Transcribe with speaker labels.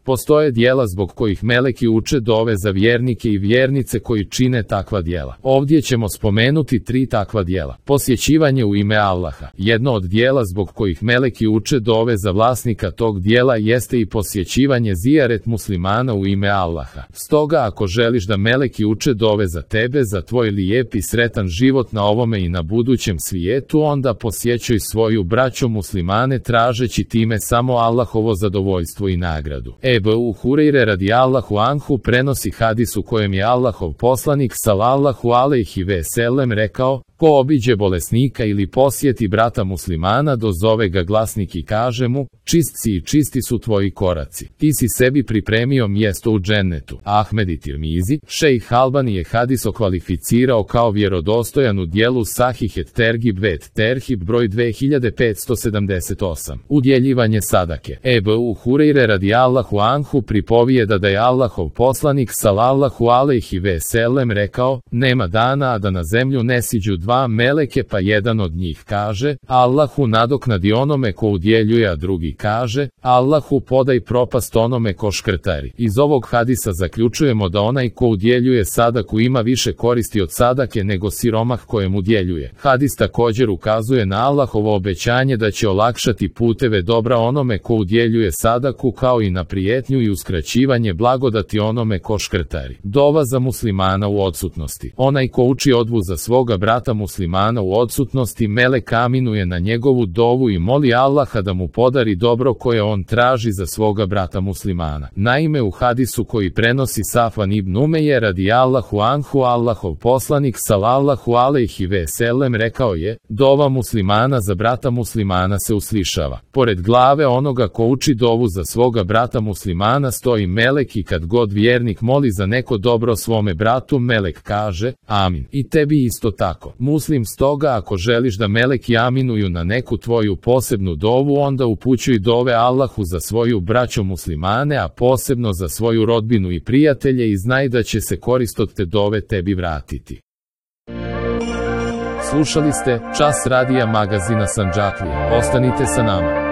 Speaker 1: Postoje dijela zbog kojih meleki uče dove za vjernike i vjernice koji čine takva dijela. Ovdje ćemo spomenuti 3 takva dijela. Posjećivanje u ime Allaha. Jedno od dijela zbog kojih meleki uče dove za vlasnika tog dijela jeste i posjećivanje zijaret muslimana u ime Allaha. Stoga ako želiš da meleki uče dove za tebe, za tvoj lijep i sretan život na ovome i na budućem svijetu, onda posjećuj svoju braću muslimane tražeći time samo Allahovo zadovoljstvo i nagradu. Ebu Hureyre radijallahu anhu prenosi hadis u kojem je Allahov poslanik sallallahu alejhi ve sellem rekao: ko obiđe bolesnika ili posjeti brata muslimana, dozove ga glasnik i kaže mu: čist si i čisti su tvoji koraci. Ti si sebi pripremio mjesto u džennetu. Ahmed i Tirmizi. Šejh Albani je hadis okvalificirao kao vjerodostojan u dijelu Sahih et Tergib vet Terhib broj 2578. Udjeljivanje sadake. Ebu Hureyre radijallahu anhu pripovijeda da je Allahov poslanik sallallahu alejhi ve sellem rekao: nema dana a da na zemlju ne siđu 2 meleke, pa jedan od njih kaže: Allahu nadoknadi onome ko udjeljuje, a drugi kaže: Allahu podaj propast onome ko škrtari. Iz ovog hadisa zaključujemo da onaj ko udjeljuje sadaku ima više koristi od sadake nego siromah kojem udjeljuje. Hadis također ukazuje na Allahovo obećanje da će olakšati puteve dobra onome ko udjeljuje sadaku, kao i na prijetnju i uskraćivanje blagodati onome ko škrtari. Dova za muslimana u odsutnosti. Onaj ko uči odvu za svoga brata muslimana u odsutnosti, melek aminuje na njegovu dovu i moli Allaha da mu podari dobro koje on traži za svoga brata muslimana. Naime, u hadisu koji prenosi Safvan ibn Umeje radijallahu anhu, Allahov poslanik sallallahu alejhi ve sellem rekao je: dova muslimana za brata muslimana se uslišava. Pored glave onoga ko uči dovu za svoga brata muslimana stoji melek i kad god vjernik moli za neko dobro svome bratu, melek kaže: amin. I tebi isto tako. Muslim. Stoga ako želiš da meleki aminuju na neku tvoju posebnu dovu, onda upućuj dove Allahu za svoju braću muslimane, a posebno za svoju rodbinu i prijatelje, i znaj da će se korist od te dove tebi vratiti. Slušali ste Čas radija magazina Sandžaklija. Ostanite sa nama.